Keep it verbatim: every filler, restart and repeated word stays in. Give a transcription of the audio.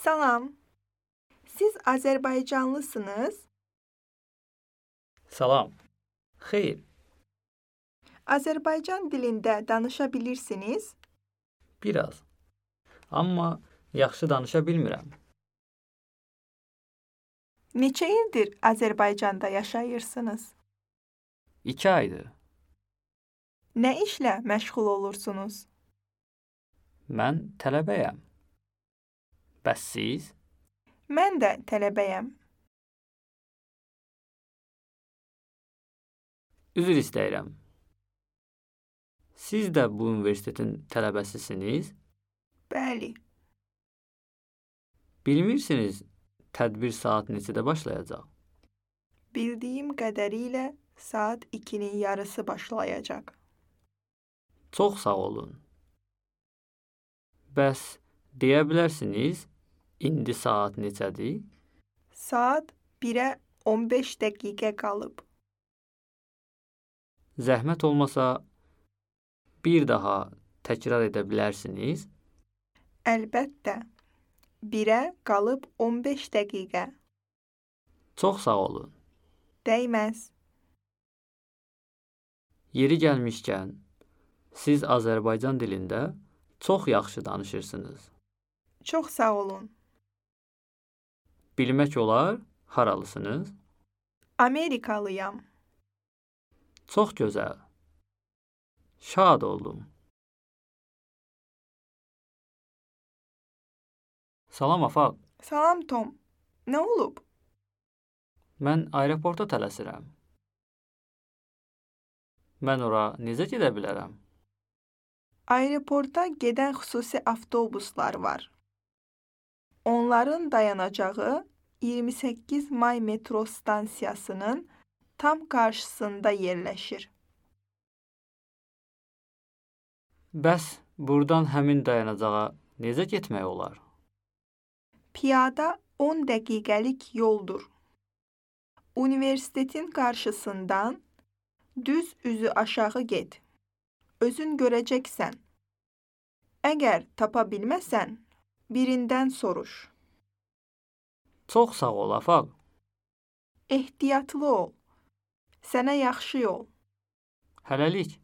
Salam. Siz Azərbaycanlısınız? Salam. Xeyr, Azərbaycan dilində danışa bilirsiniz? biraz. Amma yaxşı danışa bilmirəm. Neçə ildir Azərbaycanda yaşayırsınız? İki aydır. Nə işlə məşğul olursunuz? Mən tələbəyəm. Bəs siz? Mən də tələbəyəm. Üzr istəyirəm. Siz də bu universitetin tələbəsisiniz? Bəli. Bilmirsiniz, tədbir saat neçədə başlayacaq? Bildiyim qədərilə saat ikinin yarısı başlayacaq. Çox sağ olun. Bəs deyə bilərsiniz, indi saat neçədir? Saat birə on beş dəqiqə qalıb. Zəhmət olmasa bir daha təkrar edə bilərsiniz? Əlbəttə. birə qalıb on beş dəqiqə. Çox sağ olun. Dəyməz. Yeri gəlmişkən, siz Azərbaycan dilində çox yaxşı danışırsınız. Çox sağ olun. Bilmək olar, haralısınız? Amerikalıyam. Çox gözəl. Şad oldum. Salam Afaq. Salam Tom. Nə olub? Mən aeroporta tələsirəm. Mən ora necə gedə bilərəm? Aeroporta gedən xüsusi avtobuslar var. Onların dayanacağı iyirmi səkkiz may metro stansiyasının tam qarşısında yerləşir. Bəs buradan həmin dayanacağa necə getmək olar? Piyada on dəqiqəlik yoldur. Universitetin qarşısından düz üzü aşağı get. Özün görəcəksən. Əgər tapa bilməsən, birindən soruş. Çox sağ ol Afaq. Ehtiyatlı ol. Sənə yaxşı yol. Hələlik.